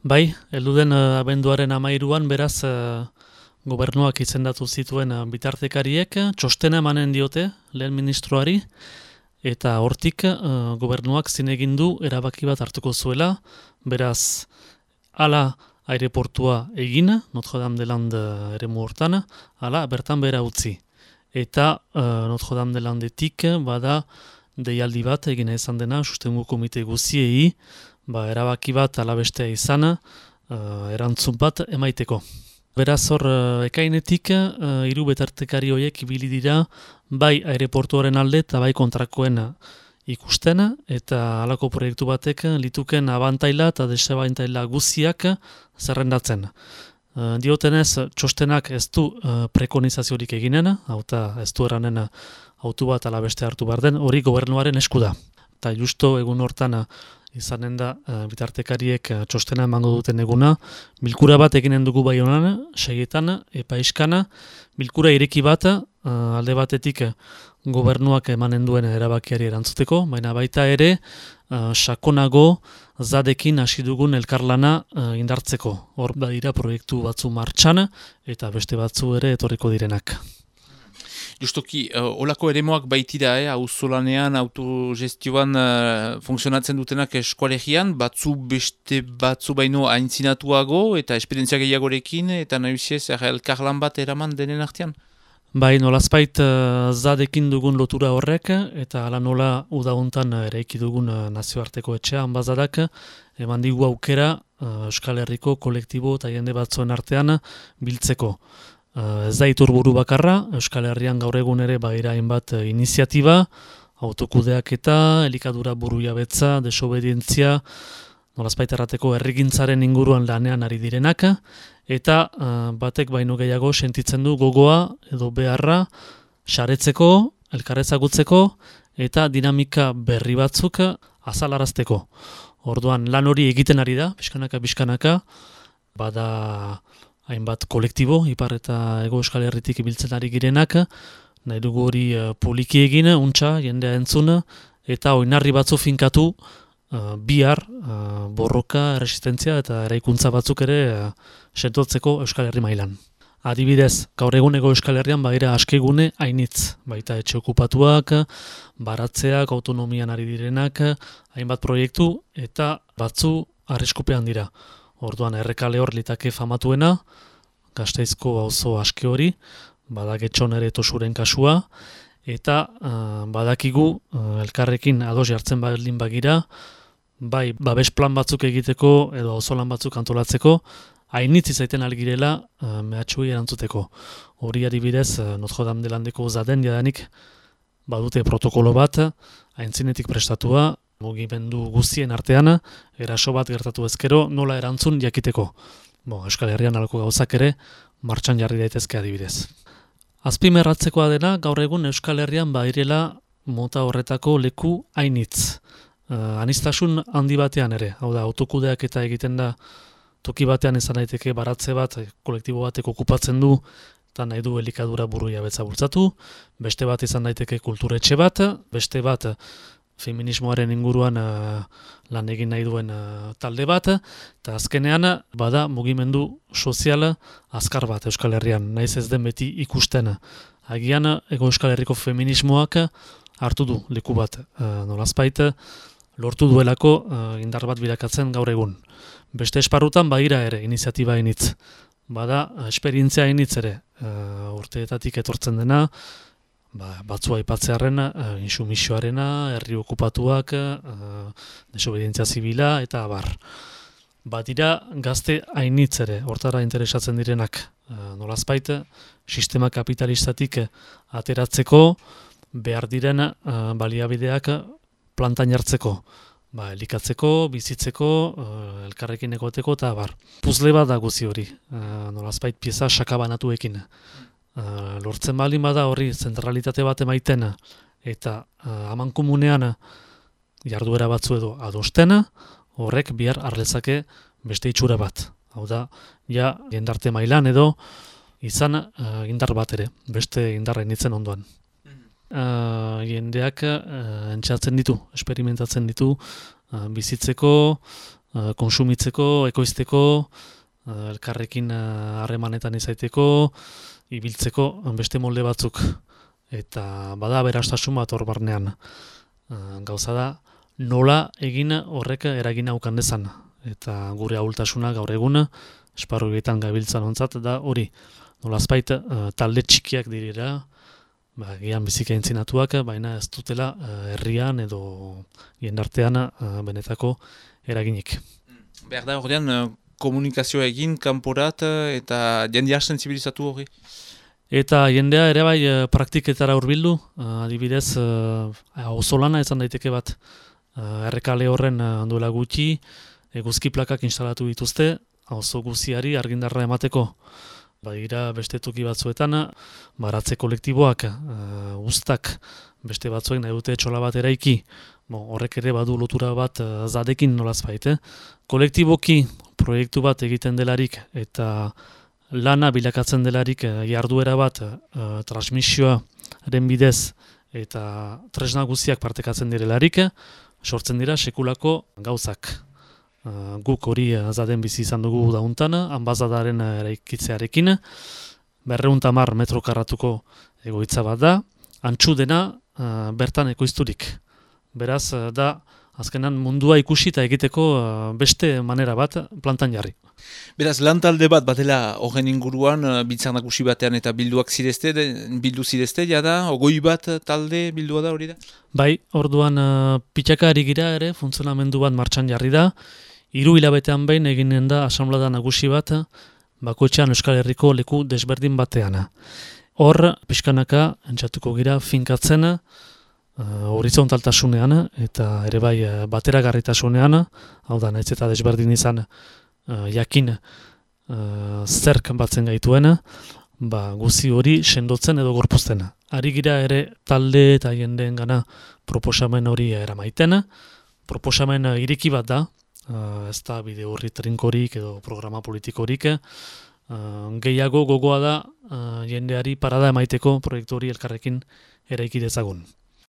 Bai, heldu den abenduaren 13an beraz gobernuak izendatu zituen bitartekariek txostena emanen diote lehen ministroari eta hortik gobernuak zinegin du erabaki bat hartuko zuela, beraz hala aireportua egin, Notre-Dame-des-Landes eremu hortan, hala bertan behera utzi. Eta Notre-Dame-des-Landetik bada deialdi bat egina izan dena sustengu komite guziei, erabaki bat alabestea izan, erantzun bat emaiteko. Beraz hor ekainetik hiru bitartekari horiek ibili dira bai aireportuaren alde eta bai kontrakoen ikusten eta halako proiektu batek lituken abantaila eta desabantaila guziak zerrendatzen. Diotenez txostenak ez du prekonizaziorik eginen, hauta ez du eranen autu bat alabeste hartu behar den, hori gobernuaren esku da. Eta justo egun hortan izanen da bitartekariek txostena emango duten eguna, bilkura bat eginen dugu bai honan, 6etan, epaiskana, bilkura ireki bat alde batetik gobernuak emanen duen erabakiari erantzuteko, baina baita ere sakonago zadekin hasi dugun elkarlana indartzeko. Hor dira proiektu batzu martxan eta beste batzu ere etorriko direnak. Justoki, olako eremoak baitira, auzolanean, autogestioan funtzionatzen dutenak eskualegian, beste batzu baino aintzinatuago eta esperientzia gehiagorekin eta nahiusiez elkarlan bat eraman denen artean? Bai, nolazpait zadekin dugun lotura horrek eta hala nola udauntan eraiki dugun nazioarteko etxea, Anbazadak, eman digu aukera Euskal Herriko kolektibo eta jende batzuen artean biltzeko. Ez da iturburu bakarra, Euskal Herrian gaur egun ere baira hainbat iniziatiba, autokudeaketa, elikadura burujabetza, desobedientzia, nolazbait errateko herrigintzaren inguruan lanean ari direnak, eta batek baino gehiago sentitzen du gogoa edo beharra saretzeko, elkarrezagutzeko eta dinamika berri batzuk azalarazteko. Orduan lan hori egiten ari da, pixkanaka, bada hainbat kolektibo, Ipar eta Hego Euskal Herritik ibiltzen ari girenak, nahi dugu hori poliki egin, untxa, jendea entzun, eta oinarri batzu finkatu bihar borroka, resistentzia eta eraikuntza batzuk ere sentotzeko Euskal Herri mailan. Adibidez, gaur eguneko Euskal Herrian baira askegune hainitz, baita etxe okupatuak, baratzeak, autonomian ari direnak, hainbat proiektu eta batzu arriskupean dira. Orduan Errekale hor litake famatuena, Gasteizko auzo aske hori, bada Getxon ere Tosuren kasua, eta badakigu elkarrekin ados jartzen baldin bagira, bai babes plan batzuk egiteko edo auzolan batzuk antolatzeko, hainitz izaiten algirela mehatxuei erantzuteko. Hori adibidez Notre-Dame-des-Landeko zaden jadanik badute protokolo bat, aintzinetik prestatua, mugimendu guztien artean, eraso bat gertatu ezkero, nola erantzun jakiteko. Euskal Herrian halako gauzak ere, martxan jarri daitezke adibidez. Azpimerratzekoa dena, gaur egun Euskal Herrian badirela mota horretako leku hainitz. Aniztasun handi batean ere, hau da, autokudeak eta egiten da, toki batean izan daiteke baratze bat, kolektibo batek okupatzen du, eta nahi du elikadura burujabetza bultzatu, beste bat izan daiteke kulturetxe bat, beste bat feminismoaren inguruan lan egin nahi duen talde bat, eta azkenean bada mugimendu soziala azkar bat Euskal Herrian, naiz ez den beti ikusten. Agian Hego Euskal Herriko feminismoak hartu du leku bat, nolazbait lortu duelako indar bat bilakatzen gaur egun. Beste esparrutan badira ere iniziatiba hainitz, bada esperientzia hainitz ere, urteetatik etortzen dena, batzua aipatzearren, insumisioarena, herri okupatuak, desobedientzia zibila eta abar. Badira gazte hainitz ere, hortara interesatzen direnak, nolazbait, sistema kapitalistatik ateratzeko behar diren baliabideak plantan jartzeko. Elikatzeko, bizitzeko, elkarrekin egoteko eta abar. Puzle bat da guzi hori, nolazbait pieza sakabanatuekin. Lortzen baldin bada horri zentralitate bat emaiten eta amankomunean jarduera batzu edo adosten, horrek bihar harlezake beste itxura bat. Hau da, ja jendarte mailan edo izan indar bat ere, beste indarra initzen ondoan. Jendeak entxatzen ditu, esperimentatzen ditu, bizitzeko, konsumitzeko, ekoizteko, elkarrekin harremanetan izaiteko, ibiltzeko beste molde batzuk. Eta bada aberastasun bat hor barnean. Gauza da, nola egin horrek eragina ukan dezan. Eta gure ahultasuna gaur egun, esparru egiten gabiltzan ontzat, da hori. Nolazpait talde txikiak dirira, gian bizika entzinatuak, baina ez dutela herrian edo jendartean benetako eraginik. Behar da horrean komunikazioa egin, kanporat eta jendea sensibilizatu hori? Eta jendea ere bai praktiketara hurbildu, adibidez auzolana izan daiteke bat. Errekale horren duela gutxi, eguzki plakak instalatu dituzte, auzo guziari argindarra emateko. Badira beste toki batzuetan, baratze kolektiboak, uztak, beste batzuek nahi dute etxola bat eraiki. Horrek ere badu lotura bat zadekin nolazbait. Kolektiboki proiektu bat egiten delarik eta lana bilakatzen delarik jarduera bat transmisioaren bidez eta tresna guztiak partekatzen direlarik, sortzen dira sekulako gauzak. Guk hori zaden bizi izan dugu dauntan, anbazadaren eraikitzearekin, 210 metro karratuko egoitza bat da, antxu dena bertan ekoizturik. Beraz, da azkenan mundua ikusi eta egiteko beste manera bat plantan jarri. Beraz, lantalde bat batela horren inguruan, biltzar nagusi batean eta bildu zirezte, jada, ogoi bat talde bildua da hori da? Bai, orduan pitxaka ari gira ere, funtzionamendu bat martxan jarri da, 3 hilabetean behin eginen da asamblada nagusi bat, bakoitzean Euskal Herriko leku desberdin batean. Hor, pixkanaka, entzatuko gira, finkatzen, horizontaltasunean eta ere bai bateragarritasunean, hau da, nahiz eta desberdin izan jakin zerk batzen gaituena, guzi hori sendotzen edo gorpuzten. Ari gira ere talde eta jendeen gana proposamen hori eramaiten, proposamen ireki bat da, ez da bide horri trinkorik edo programa politikorik, gehiago gogoa da jendeari parada emaiteko proiektu hori elkarrekin eraiki dezagun.